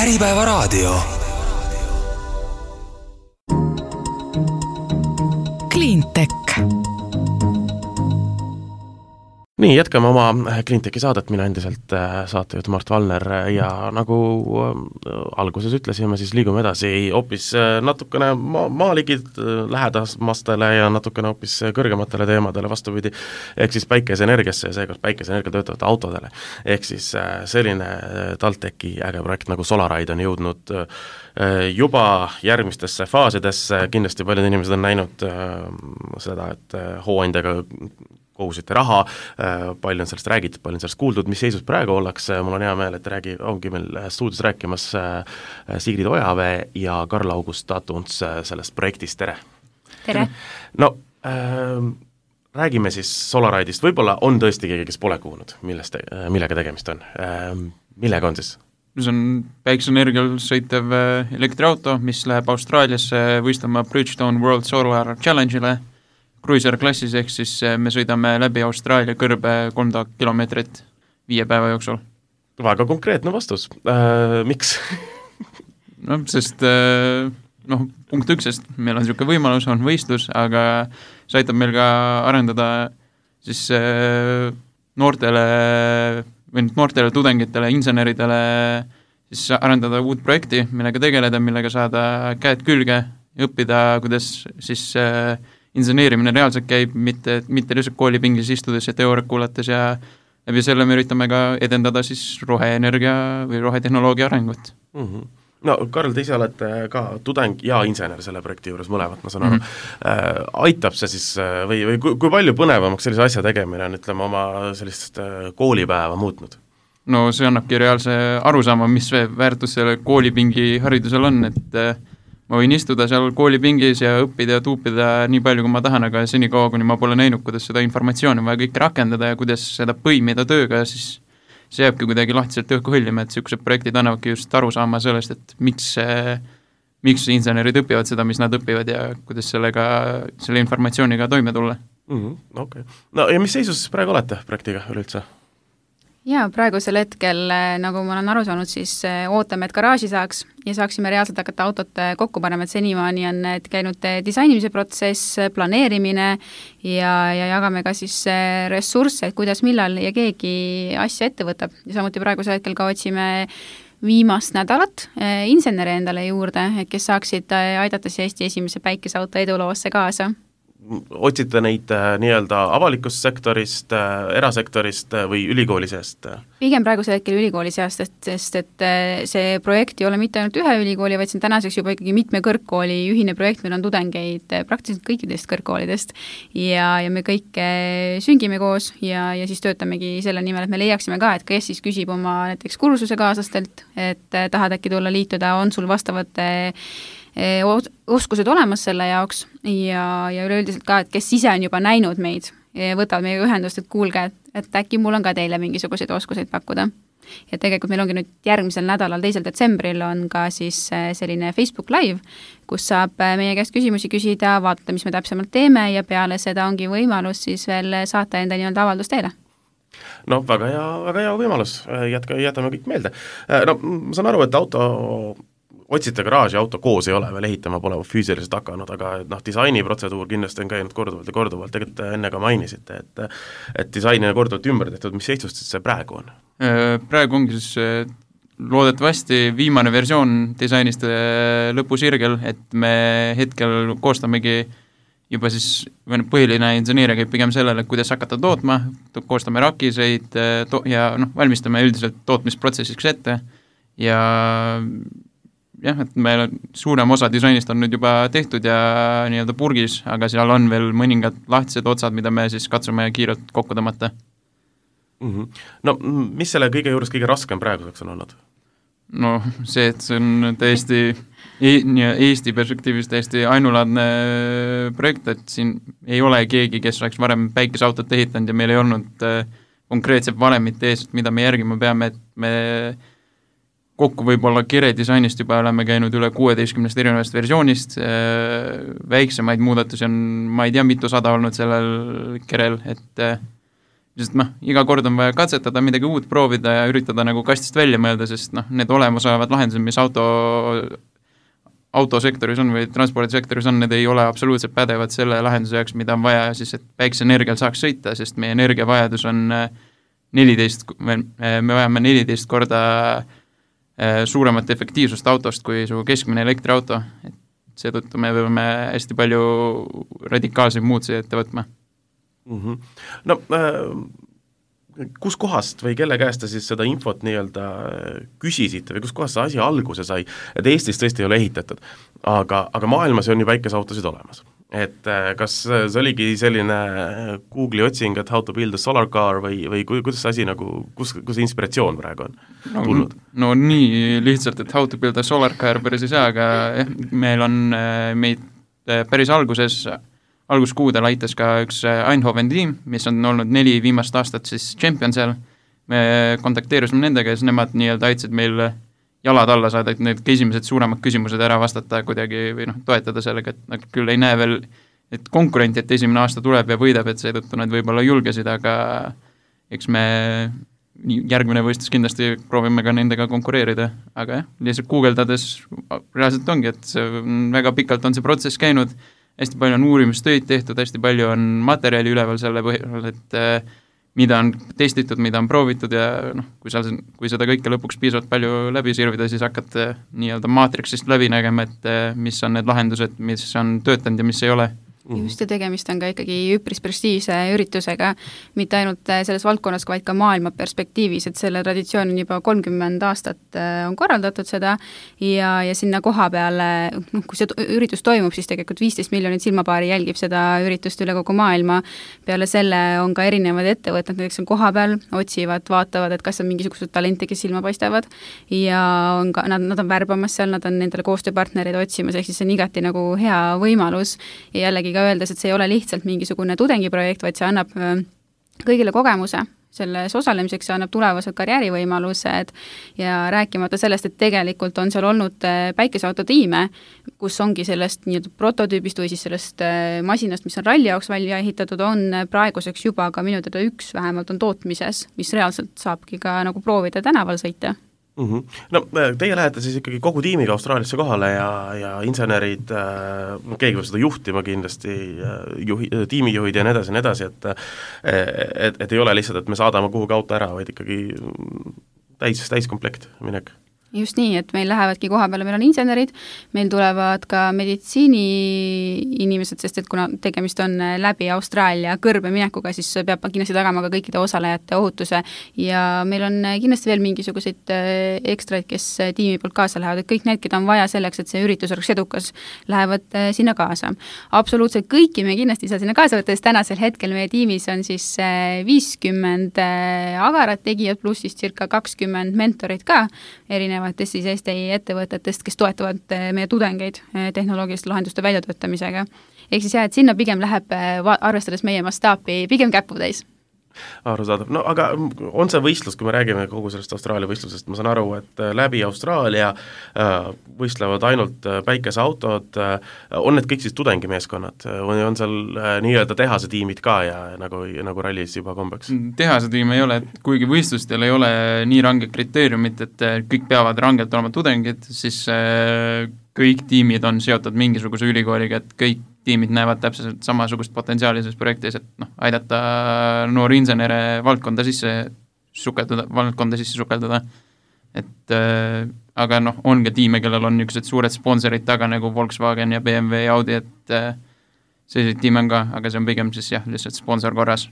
Äripäevaraadio. Cleantech. Nii, jätkame oma Cleantechi saadet, mina endiselt saatejuht Mart Valner ja nagu alguses ütlesime, siis liigume edasi hoopis natukene maaligid lähedamastele ja natukene hoopis kõrgematele teemadele vastupidi, ehk siis päikeseenergiasse ja seekord päikeseenergia töötavate autodele. Ehk siis selline TalTechi äge projekt nagu Solaride on jõudnud juba järgmistesse faasidesse, kindlasti paljud inimesed on näinud seda, et hooandjaga kohusite raha, palju on sellest räägitud, palju on sellest kuuldud, mis seisus praegu ollakse, mul on hea meel, et ongi meil stuudios rääkimas Sigrid Ojavee ja Karl-August Tatunts sellest projektist, tere! Tere! No, räägime siis Solaride'ist, võib-olla on tõesti keegi, kes pole kuulnud, millega tegemist on. Millega on siis? See on päikeseenergial sõitev elektriauto, mis läheb Austraaliasse võistlema Bridgestone World Solar Challenge'ile Cruiser klassis, ehk siis me sõidame läbi Austraalia kõrbe 3000 kilomeetrit 5 päeva jooksul. Väga konkreetne vastus. Miks? No, sest punkt 1, sest meil on niisugune võimalus, on võistlus, aga see aitab meil ka arendada siis noortele tudengitele, inseneridele siis arendada uut projekti, millega tegeleda, millega saada käed külge, õppida, kuidas siis inseneerimine reaalselt käib, mitte lihtsalt koolipingis istudes ja teooriat kuulates ja läbi selle me üritame ka edendada siis roheenergia või rohetehnoloogia arengut. Mm-hmm. No Karl, te ise olete ka tudeng ja insener selle projekti juures mõlemat, ma saan aru. Aitab see siis või kui palju põnevamaks sellise asja tegemine on, ütleme, oma sellist koolipäeva muutnud? No see annabki reaalse arusaama, mis väärtus selle koolipingi haridusel on, et ma võin istuda seal koolipingis ja õppida ja tuupida nii palju, kui ma tahan, aga senikaua, kuni ma pole näinud, kuidas seda informatsiooni vaja kõike rakendada ja kuidas seda põimida tööga, siis see jääbki kuidagi lahtiselt õhku hõljima, et niisugused projektid annavadki just aru saama sellest, et miks insenerid õpivad seda, mis nad õpivad ja kuidas selle informatsiooniga toime tulla. Okay. No ja mis seisus praegu olete projektiga üleüldse? Ja praegusel hetkel, nagu ma olen aru saanud, siis ootame, et garaaži saaks ja saaksime reaalselt hakata autot kokku panema, et senimaani on käinud disainimise protsess, planeerimine ja jagame ka siis ressursse, et kuidas, millal ja keegi asja ette võtab. Ja samuti praegusel hetkel ka otsime viimast nädalat insenere endale juurde, kes saaksid aidata siis Eesti esimese päikeseauto eduloosse kaasa. Otsite neid nii-öelda avalikust sektorist, erasektorist või ülikooli seest? Pigem praegusel hetkel ülikooli seast, sest et see projekt ei ole mitte ainult ühe ülikooli, vaid see on tänaseks juba ikkagi mitme kõrgkooli ühine projekt, meil on tudengeid praktiliselt kõikidest kõrgkoolidest ja me kõik süngime koos ja siis töötamegi selle nimel, et me leiaksime ka, et kes siis küsib oma näiteks kursuse kaaslastelt, et tahad äkki tulla liituda, on sul vastavad oskused olemas selle jaoks ja üleüldiselt ka, et kes ise on juba näinud meid, võtavad meiega ühendust, et kuulge, et äkki mul on ka teile mingisuguseid oskuseid pakkuda. Ja tegelikult meil ongi nüüd järgmisel nädalal, 2. detsembril on ka siis selline Facebook Live, kus saab meie käest küsimusi küsida, vaadata, mis me täpsemalt teeme ja peale seda ongi võimalus siis veel saata enda nii-öelda avaldus teile. No väga hea võimalus, jätame kõik meelde. No ma saan aru, et otsite garaaži, auto koos ei ole, veel ehitama pole füüsiliselt hakanud, aga disainiprotseduur kindlasti on käinud korduvalt, tegelikult enne ka mainisite, et disaini on korduvalt ümber tehtud, mis seisust see praegu on? Praegu ongi siis loodetavasti viimane versioon disainist lõpusirgel, et me hetkel koostamegi juba siis põhiline inseneeria käib pigem sellele, kuidas hakata tootma, koostame rakiseid ja valmistame üldiselt tootmisprotsessiks ette ja et meil suurem osa disainist on nüüd juba tehtud ja nii-öelda purgis, aga seal on veel mõningad lahtised otsad, mida me siis katsume kiirelt kokku tõmmata. No mis selle kõige juures kõige raskem praeguseks on olnud? No see, et see on täiesti Eesti perspektiivist täiesti ainulaadne projekt, et siin ei ole keegi, kes oleks varem päikeseautot ehitanud ja meil ei olnud konkreetselt valemit ees, mida me järgima peame, et me kokku võib-olla kere disainist juba oleme käinud üle 16 erinevast versioonist, väiksemaid muudatusi on, ma ei tea, mitu sada olnud sellel kerel, et sest iga kord on vaja katsetada, midagi uut proovida ja üritada nagu kastist välja mõelda, sest need olemasolevad lahendused, mis autosektoris on või transpordisektoris on, need ei ole absoluutselt pädevad selle lahenduse jaoks, mida on vaja siis, et päikseenergial saaks sõita, sest meie energiavajadus on 14, me vajame 14 korda suuremat efektiivsust autost kui su keskmine elektriauto, et seetõttu me peame hästi palju radikaalseid muutusi ette võtma. No kus kohast või kelle käest te siis seda infot nii-öelda küsisite või kus kohast see asi alguse sai, et Eestis tõesti ei ole ehitatud, aga maailmas on ju päikeseautosid olemas. Et kas see oligi selline Google'i otsing, et how to build a solar car või kuidas see asi nagu, kus inspiratsioon praegu on tulnud? No nii lihtsalt, et how to build a solar car päris ei saa, aga meil on meid päris alguskuudel aitas ka üks Eindhoven tiim, mis on olnud 4 viimast aastat siis champion seal. Me kontakteerusime nendega ja siis nemad nii-öelda aitasid meil jalad alla saada, et need esimesed suuremad küsimused ära vastata kuidagi või toetada sellega, et küll ei näe veel, et konkurenti, et esimene aasta tuleb ja võidab, et seetõttu nad võib-olla julgesid, aga eks me järgmine võistlus kindlasti proovime ka nendega konkureerida, aga lihtsalt guugeldades reaalselt ongi, et väga pikalt on see protsess käinud, hästi palju on uurimistöid tehtud, hästi palju on materjali üleval selle põhjal, et mida on testitud, mida on proovitud ja kui seda kõike lõpuks piisavalt palju läbi sirvida, siis hakkad nii-öelda maatriksist läbi nägema, et mis on need lahendused, mis on töötanud ja mis ei ole. Just ja tegemist on ka ikkagi üpris prestiivse üritusega, mitte ainult selles valdkonnas, vaid ka maailma perspektiivis, et selle traditsioon on juba 30 aastat on korraldatud seda ja sinna koha peale, kui see üritus toimub, siis tegelikult 15 miljonit silmapaari jälgib seda üritust üle kogu maailma. Peale selle on ka erinevad ettevõtted, näiteks on koha peal, otsivad, vaatavad, et kas on mingisugused talente, kes silma paistavad ja on ka, nad on värbamas seal, nad on nendele koostööpartnereid otsimas, ehk siis see on igati nagu hea võimalus ja jällegi öeldes, et see ei ole lihtsalt mingisugune tudengiprojekt, vaid see annab kõigile kogemuse selles osalemiseks, see annab tulevased karjäärivõimalused ja rääkimata sellest, et tegelikult on seal olnud päikeseautotiime, kus ongi sellest nii-öelda prototüübist või siis sellest masinast, mis on ralli jaoks välja ehitatud, on praeguseks juba ka minu teada üks vähemalt on tootmises, mis reaalselt saabki ka nagu proovida tänaval sõita. No teie lähete siis ikkagi kogu tiimiga Austraaliasse kohale ja insenerid, keegi võib seda juhtima kindlasti, tiimijuhid ja nii edasi, et ei ole lihtsalt, et me saadame kuhugi auto ära, vaid ikkagi täiskomplekt minek. Just nii, et meil lähevadki koha peale, meil on insenerid, meil tulevad ka meditsiini inimesed, sest et kuna tegemist on läbi Austraalia kõrbe minekuga, siis peab kindlasti tagama ka kõikide osalejate ohutuse ja meil on kindlasti veel mingisuguseid ekstraid, kes tiimi poolt kaasa lähevad, et kõik need, keda on vaja selleks, et see üritus oleks edukas, lähevad sinna kaasa. Absoluutselt kõiki me kindlasti ei saa sinna kaasa võtta, sest tänasel hetkel meie tiimis on siis 50 agarat tegijad, pluss siis circa 20 mentorit ka, erinevatest siis Eesti ettevõtetest, kes toetavad meie tudengeid tehnoloogiliste lahenduste väljatöötamisega. Ehk siis et sinna pigem läheb, arvestades meie mastaapi, pigem käputäis. Arusaadav. No aga on see võistlus, kui me räägime kogu sellest Austraalia võistlusest, ma saan aru, et läbi Austraalia võistlevad ainult päikeseautod, on need kõik siis tudengimeeskonnad või on seal nii-öelda tehase tiimid ka ja nagu rallis juba kombeks? Tehase tiim ei ole, kuigi võistlustel ei ole nii range kriteeriumit, et kõik peavad rangelt olema tudengid, siis kõik tiimid on seotud mingisuguse ülikooliga, et kõik tiimid näevad täpselt samasugust potentsiaali selles projektis, et aidata noori insenere valdkonda sisse sukeldada. Et aga on ka tiime, kellel on niisugused suured sponsorid taga nagu Volkswagen ja BMW ja Audi, et selliseid tiime on ka, aga see on pigem siis lihtsalt sponsor korras.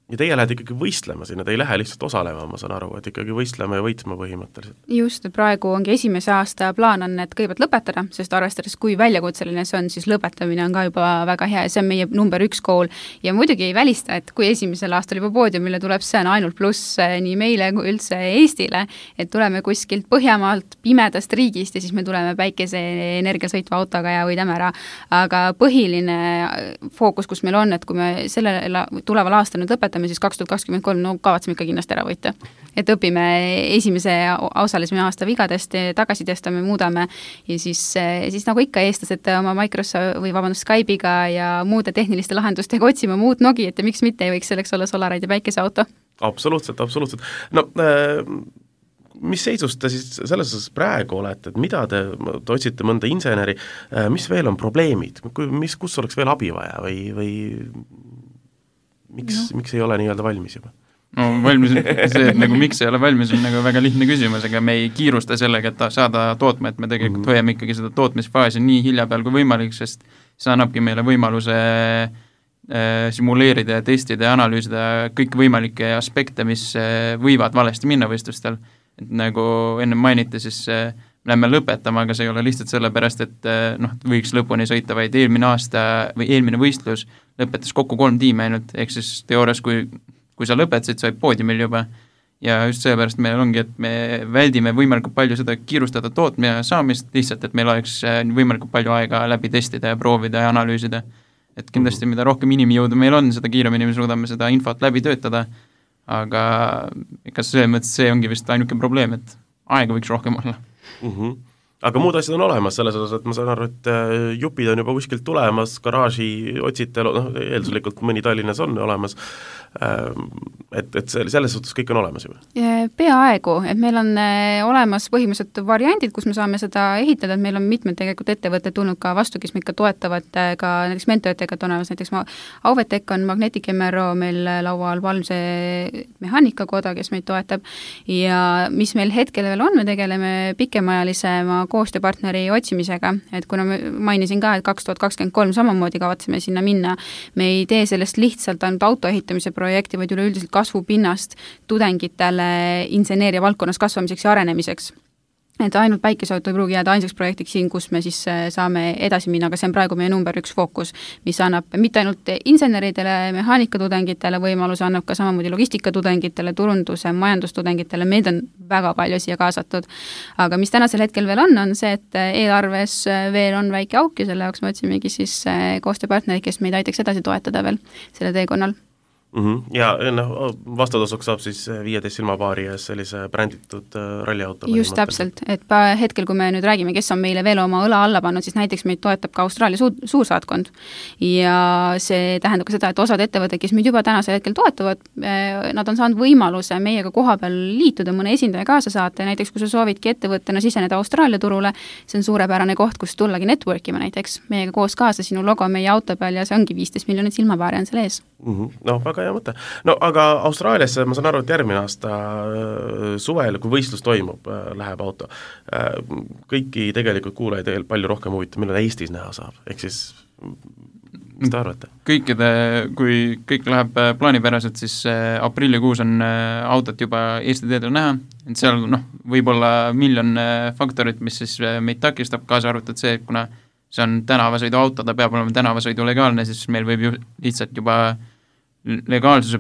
Ja teie lähed ikkagi võistlema sinna, te ei lähe lihtsalt osalema, ma saan aru, et ikkagi võistlema ja võitma põhimõtteliselt. Just, praegu ongi esimese aasta plaan on, et kõigepealt lõpetada, sest arvestades, kui väljakutseline see on, siis lõpetamine on ka juba väga hea ja see on meie number 1 kool ja muidugi ei välista, et kui esimesel aastal juba poodiumile tuleb, see on ainult pluss nii meile kui üldse Eestile, et tuleme kuskilt Põhjamaalt, pimedast riigist ja siis me tuleme päikeseenergia sõitva autoga ja võidame ära, aga põhiline fookus, kus meil on, et kui me tuleval aastal nüüd lõpetame, vaatame siis 2023, no kavatseme ikka kindlasti ära võita. Et õpime esimese osalisme aasta vigadest, tagasi testame, muudame ja siis nagu ikka eestlased oma Microsoft või Skype'iga ja muude tehniliste lahendustega otsime muud nogi, et miks mitte ei võiks selleks olla Solaraid ja päikeseauto. Absoluutselt. No mis seisus te siis selles osas praegu olete, et mida te otsite mõnda inseneri, mis veel on probleemid, kus oleks veel abi vaja või miks ei ole nii-öelda valmis juba? No valmis, see, et nagu miks ei ole valmis, on nagu väga lihtne küsimus, aga me ei kiirusta sellega, et saada tootma, et me tegelikult hoiame ikkagi seda tootmisfaasi nii hilja peal kui võimalik, sest see annabki meile võimaluse simuleerida ja testida ja analüüsida kõik võimalikke aspekte, mis võivad valesti minna võistlustel. Et nagu enne mainiti, siis läheme lõpetama, aga see ei ole lihtsalt sellepärast, et võiks lõpuni sõita, vaid eelmine aasta või eelmine võistlus lõpetas kokku 3 tiimi ainult, ehk siis teoorias, kui sa lõpetasid, sa olid poodiumil juba ja just sellepärast meil ongi, et me väldime võimalikult palju seda kiirustada tootmine saamist, lihtsalt, et meil oleks võimalikult palju aega läbi testida ja proovida ja analüüsida. Et kindlasti mida rohkem inimjõudu meil on, seda kiiremini me suudame seda infot läbi töötada, aga kas selles mõttes see ongi vist ainuke probleem, et aega võiks rohkem olla. Aga muud asjad on olemas selles osas, et ma saan aru, et jupid on juba kuskilt tulemas, garaaži otsite, eelduslikult mõni Tallinnas on olemas, et selles suhtes kõik on olemas juba? Peaaegu, et meil on olemas põhimõtteliselt variandid, kus me saame seda ehitada, et meil on mitmed tegelikult ettevõtted tulnud ka vastu, kes meid ka toetavad, ka näiteks mentoritega on olemas, näiteks Auvetek on Magnetic MRO meil laual, Valmse mehaanikakoda, kes meid toetab ja mis meil hetkel veel on, me tegeleme pikemaajalisema koostööpartneri otsimisega, et kuna ma mainisin ka, et 2023 samamoodi kavatseme sinna minna, me ei tee sellest lihtsalt ainult auto ehitamise projekti, vaid üleüldiselt kasvupinnast tudengitele inseneeria valdkonnas kasvamiseks ja arenemiseks. Et ainult päikeseauto ei pruugi jääda ainsaks projektiks siin, kus me siis saame edasi minna, aga see on praegu meie number 1 fookus, mis annab mitte ainult inseneridele, mehaanikatudengitele võimaluse, annab ka samamoodi logistikatudengitele, turunduse, majandustudengitele, meid on väga palju siia kaasatud. Aga mis tänasel hetkel veel on see, et eelarves veel on väike auk ja selle jaoks me otsimegi siis koostööpartnerid, kes meid aitaks edasi toetada veel selle teekonnal. Ja vastutasuks saab siis 15 silmapaari ja sellise bränditud ralliauto. Just täpselt, et hetkel, kui me nüüd räägime, kes on meile veel oma õla alla pannud, siis näiteks meid toetab ka Austraalia suursaatkond ja see tähendab ka seda, et osad ettevõtted, kes meid juba tänasel hetkel toetavad, nad on saanud võimaluse meiega koha peal liituda, mõne esindaja kaasa saata ja näiteks kui sa soovidki ettevõttena siseneda Austraalia turule, see on suurepärane koht, kus tullagi networkima näiteks meiega koos kaasa, sinu logo meie auto peal ja see ongi 15 miljonit silmapaari on selle ees. No, väga hea mõte. No aga Austraaliasse, ma saan aru, et järgmine aasta suvel, kui võistlus toimub, läheb auto. Kõiki tegelikult kuulajaid palju rohkem huvitav, millal Eestis näha saab, ehk siis mis te arvate? Kui kõik läheb plaanipäraselt, siis aprillikuus on autot juba Eesti teedel näha, et seal võib-olla miljon faktorit, mis siis meid takistab, kaasa arvatud see, kuna see on tänavasõidu auto, ta peab olema tänavasõidu legaalne, siis meil võib ju lihtsalt juba legaalsuse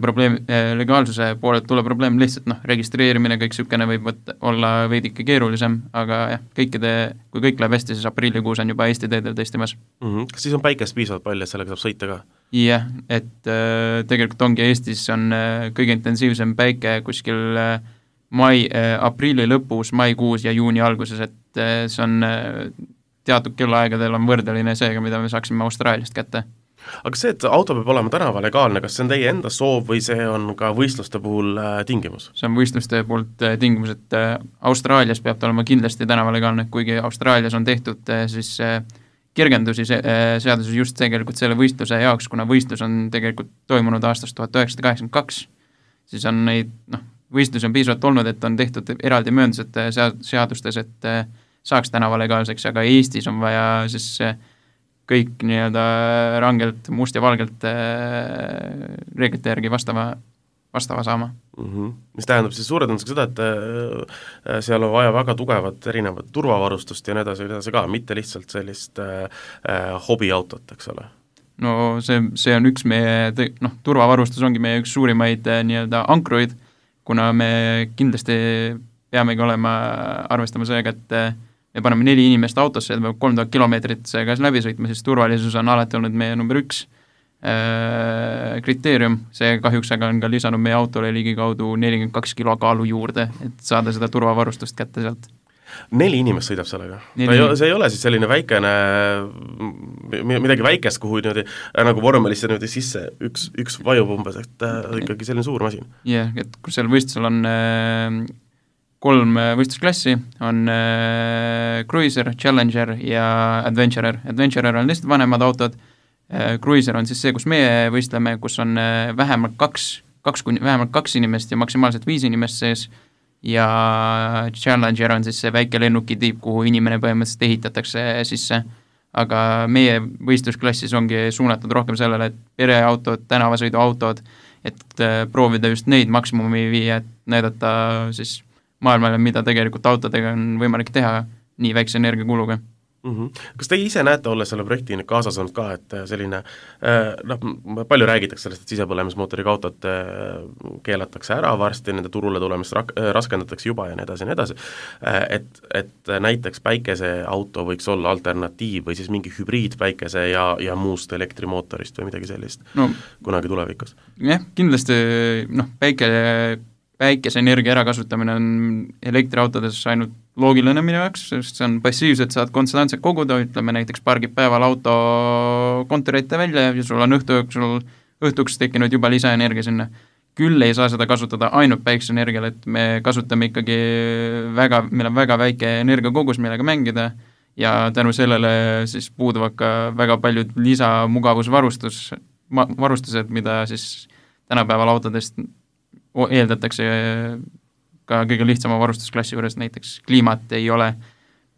poolelt tulla probleem lihtsalt, registreerimine, kõik sükene võib olla veidike keerulisem, aga jah, kui kõik läheb hästi, siis aprillikuus on juba Eesti teedel testimas. Kas siis on päikest piisavalt palju, et sellega saab sõita ka? Jah, et tegelikult ongi Eestis on kõige intensiivsem päike kuskil aprilli lõpus, maikuus ja juuni alguses, et see on teatud kellaaegadel on võrdeline seega, mida me saaksime Austraaliast kätte. Aga see, et auto peab olema tänava legaalne, kas see on teie enda soov või see on ka võistluste puhul tingimus? See on võistluste poolt tingimus, et Austraalias peab ta olema kindlasti tänava legaalne, kuigi Austraalias on tehtud siis kergendusi seaduses just tegelikult selle võistluse jaoks, kuna võistlus on tegelikult toimunud aastast 1982, siis on neid, võistlusi on piisavalt olnud, et on tehtud eraldi mööndused seadustes, et saaks tänava legaalseks, aga Eestis on vaja siis kõik nii-öelda rangelt, must ja valgelt reeglite järgi vastava saama. Mis tähendab siis suure tõenäosusega seda, et seal on vaja väga tugevat erinevat turvavarustust ja nii edasi ka, mitte lihtsalt sellist hobiautot, eks ole? No see on üks meie, turvavarustus ongi meie üks suurimaid nii-öelda ankruid, kuna me kindlasti peamegi arvestama seega, et me paneme 4 inimest autosse, et me 3000 kilomeetrit seega läbi sõitma, siis turvalisus on alati olnud meie number 1 kriteerium, see kahjuks aga on ka lisanud meie autole ligikaudu 42 kilo kaalu juurde, et saada seda turvavarustust kätte sealt. 4 inimest sõidab sellega? See ei ole siis selline väikene, midagi väikest, kuhu niimoodi, nagu vormelisse niimoodi sisse üks vajub umbes, et ikkagi selline suur masin? Jah, et kui seal võistlusel on 3 võistlusklassi, on Cruiser, Challenger ja Adventurer. Adventurer on lihtsalt vanemad autod, Cruiser on siis see, kus meie võistleme, kus on vähemalt 2 inimest ja maksimaalselt 5 inimest sees, ja Challenger on siis see väike lennuki tiip, kuhu inimene põhimõtteliselt ehitatakse sisse. Aga meie võistlusklassis ongi suunatud rohkem sellele, et pereautod, tänavasõiduautod, et proovida just neid maksimumi viia, et näidata siis maailmale, mida tegelikult autodega on võimalik teha nii väikse energiakuluga. Kas te ise näete, olles selle projekti kaasas olnud ka, et selline, palju räägitakse sellest, et sisepõlemismootoriga autod keelatakse ära varsti, nende turule tulemist raskendatakse juba ja nii edasi, et näiteks päikeseauto võiks olla alternatiiv või siis mingi hübriid päikese ja muust elektrimootorist või midagi sellist kunagi tulevikus? Jah, kindlasti päikeseenergia ärakasutamine on elektriautodes ainult loogiline minu jaoks, sest see on passiivselt, saad konstantselt koguda, ütleme näiteks pargib päeval auto kontori ette välja ja sul on õhtuks tekkinud juba lisaenergia sinna. Küll ei saa seda kasutada ainult päikeseenergial, et me kasutame ikkagi meil on väga väike energiakogus, millega mängida ja tänu sellele siis puuduvad ka väga paljud lisamugavusvarustused, mida siis tänapäeval autodest eeldatakse ka kõige lihtsama varustusklassi juures, näiteks kliimat ei ole,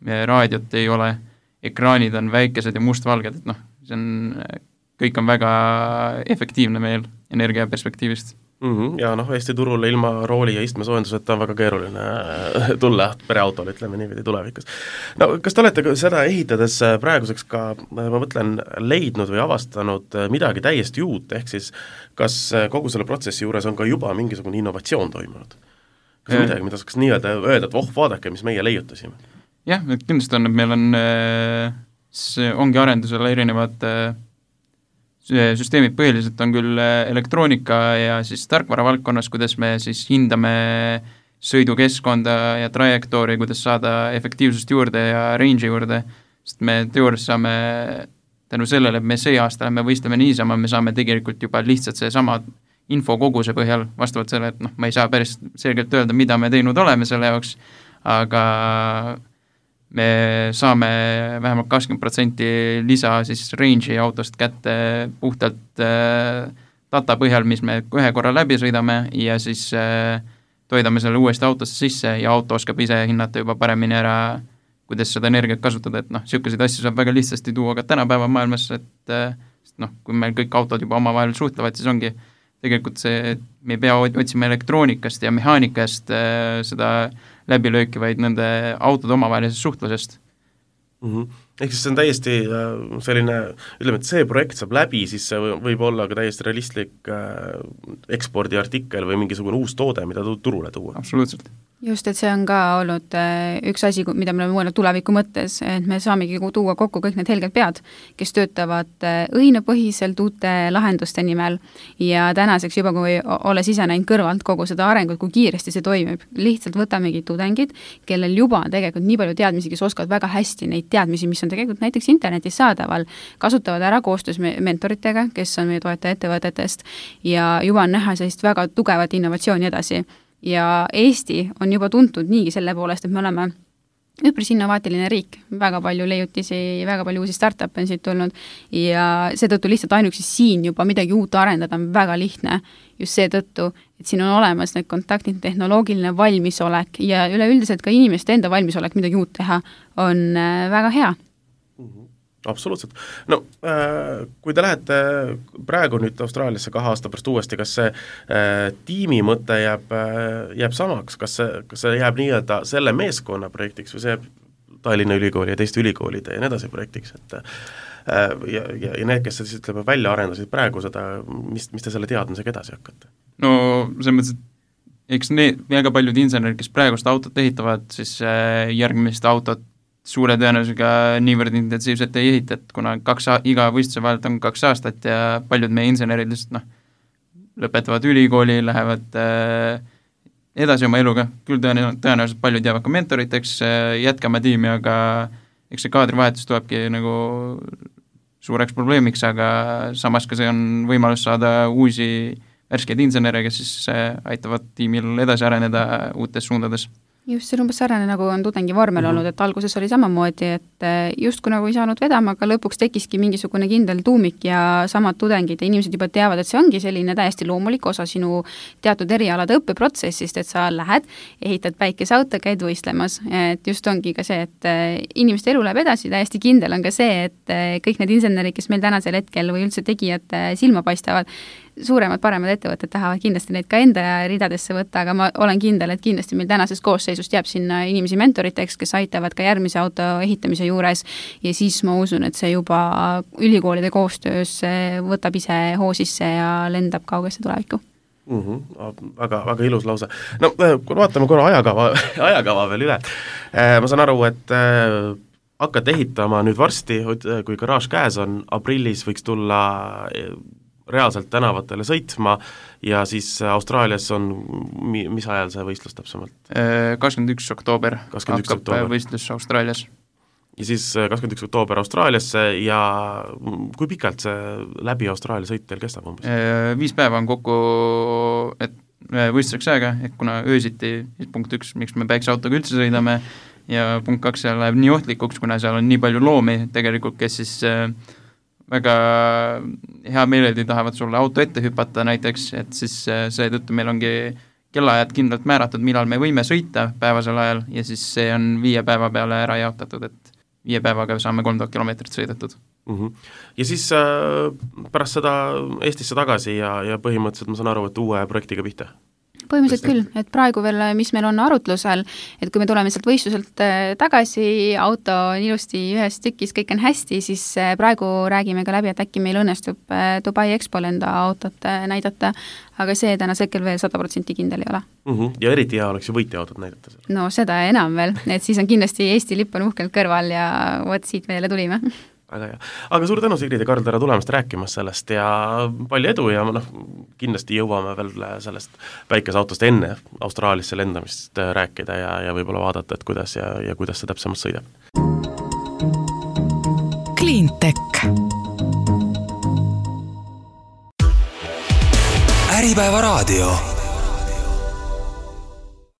raadiot ei ole, ekraanid on väikesed ja mustvalged, et kõik on väga efektiivne meil energia perspektiivist. Ja Eesti turule ilma rooli ja istmesoojenduseta on väga keeruline tulla pereautole, ütleme niimoodi tulevikus. Kas te olete seda ehitades praeguseks ka, ma mõtlen, leidnud või avastanud midagi täiesti uut, ehk siis kas kogu selle protsessi juures on ka juba mingisugune innovatsioon toimunud? Kas on midagi, mida saaks nii-öelda öelda, et vaadake, mis meie leiutasime? Jah, et kindlasti on, et meil on, ongi arendusel erinevad süsteemid, põhiliselt on küll elektroonika ja siis tarkvara valdkonnas, kuidas me siis hindame sõidukeskkonda ja trajektoori, kuidas saada efektiivsust juurde ja range'i juurde, sest me teoorias saame tänu sellele, et me see aasta me võistleme niisama, me saame tegelikult juba lihtsalt see sama infokoguse põhjal, vastavalt selle, et ma ei saa päris selgelt öelda, mida me teinud oleme selle jaoks, aga me saame vähemalt 20% lisa siis range'i autost kätte puhtalt data põhjal, mis me ühe korra läbi sõidame ja siis toidame selle uuesti autosse sisse ja auto oskab ise hinnata juba paremini ära, kuidas seda energiat kasutada, et selliseid asju saab väga lihtsasti tuua ka tänapäeva maailmas, et kui meil kõik autod juba omavahel suhtlevad, siis ongi tegelikult see, et me ei pea otsima elektroonikast ja mehaanikast seda läbilööki, vaid nende autode omavahelisest suhtlusest. Ehk siis see on täiesti selline, ütleme, et see projekt saab läbi, siis see võib olla ka täiesti realistlik ekspordiartikkel või mingisugune uus toode, mida turule tuua. Absoluutselt. Just, et see on ka olnud üks asi, mida me oleme mõelnud tuleviku mõttes, et me saamegi tuua kokku kõik need helged pead, kes töötavad õhinapõhiselt uute lahenduste nimel ja tänaseks juba, kui olles ise näinud kõrvalt kogu seda arengut, kui kiiresti see toimib, lihtsalt võtamegi tudengid, kellel juba on tegelikult nii palju teadmisi, kes oskavad väga hästi neid teadmisi, mis on tegelikult näiteks internetis saadaval, kasutavad ära koostöös mentoritega, kes on meie toetaja ettevõtetest ja juba on näha sellist väga tugevat innovatsiooni edasi. Ja Eesti on juba tuntud niigi selle poolest, et me oleme üpris innovaatiline riik, väga palju leiutisi, väga palju uusi startup'e on siit tulnud ja seetõttu lihtsalt ainuüksi siin juba midagi uut arendada on väga lihtne, just seetõttu, et siin on olemas need kontaktid, tehnoloogiline valmisolek ja üleüldiselt ka inimeste enda valmisolek midagi uut teha on väga hea. Absoluutselt. Kui te lähete praegu nüüd Austraaliasse 2 aasta pärast uuesti, kas see tiimi mõte jääb samaks, kas see jääb nii-öelda selle meeskonna projektiks või see jääb Tallinna ülikooli ja teiste ülikoolide ja nii edasi projektiks, et ja need, kes siis ütleme välja arendasid praegu seda, mis te selle teadmisega edasi hakkate? No selles mõttes, et eks väga paljud insenerid, kes praegust autot ehitavad, siis järgmist autot suure tõenäosusega niivõrd intensiivselt ei ehita, et kuna iga võistluse vahelt on 2 aastat ja paljud meie insenerid lihtsalt lõpetavad ülikooli, lähevad edasi oma eluga, küll tõenäoliselt paljud jäävad ka mentoriteks, jätkama tiimi, aga eks see kaadrivahetus tulebki nagu suureks probleemiks, aga samas ka see on võimalus saada uusi värskeid insenere, kes siis aitavad tiimil edasi areneda uutes suundades. Just, see on umbes sarnane, nagu on tudengi vormel olnud, et alguses oli samamoodi, et justkui nagu ei saanud vedama, aga lõpuks tekkiski mingisugune kindel tuumik ja samad tudengid ja inimesed juba teavad, et see ongi selline täiesti loomulik osa sinu teatud erialade õppeprotsessist, et sa lähed, ehitad päikeseauto, käid võistlemas, et just ongi ka see, et inimeste elu läheb edasi, täiesti kindel on ka see, et kõik need insenerid, kes meil tänasel hetkel või üldse tegijad silma paistavad, suuremad, paremad ettevõtted tahavad kindlasti neid ka enda ridadesse võtta, aga ma olen kindel, et kindlasti meil tänasest koosseisust jääb sinna inimesi mentoriteks, kes aitavad ka järgmise auto ehitamise juures ja siis ma usun, et see juba ülikoolide koostöös võtab ise hoo sisse ja lendab kaugesse tulevikku. Väga ilus lause. No vaatame korra ajakava veel üle. Ma saan aru, et hakkad ehitama nüüd varsti, kui garaaž käes on, aprillis võiks tulla reaalselt tänavatele sõitma ja siis Austraalias on, mis ajal see võistlus täpsemalt? 21. oktoober hakkab võistlus Austraalias. Ja siis 21. oktoober Austraaliasse ja kui pikalt see läbi Austraalia sõit teil kestab umbes? 5 päeva on kokku, et võistluseks aega, et kuna öösiti, punkt 1, miks me päikseautoga üldse sõidame ja punkt 2, seal läheb nii ohtlikuks, kuna seal on nii palju loomi tegelikult, kes siis väga hea meeleldi tahavad sulle auto ette hüpata näiteks, et siis seetõttu meil ongi kellaajad kindlalt määratud, millal me võime sõita päevasel ajal ja siis see on 5 päeva peale ära jaotatud, et 5 päevaga saame 3000 kilomeetrit sõidetud. Ja siis pärast seda Eestisse tagasi ja põhimõtteliselt ma saan aru, et uue projektiga pihta? Põhimõtteliselt küll, et praegu veel, mis meil on arutlusel, et kui me tuleme sealt võistluselt tagasi, auto on ilusti ühes tükis, kõik on hästi, siis praegu räägime ka läbi, et äkki meil õnnestub Dubai Expol enda autot näidata, aga see tänase hetkel veel 100% kindel ei ole. Ja eriti hea oleks ju võitja autot näidata seal. No seda enam veel, et siis on kindlasti Eesti lipp on uhkelt kõrval ja vot siit meile tulime. Väga hea. Aga suur tänu, Sigrid ja Karl, tere tulemast rääkimas sellest ja palju edu ja kindlasti jõuame veel sellest päikeseautost enne Austraaliasse lendamist rääkida ja võib-olla vaadata, et kuidas ja kuidas see täpsemalt sõidab. Cleantech. Äripäeva raadio.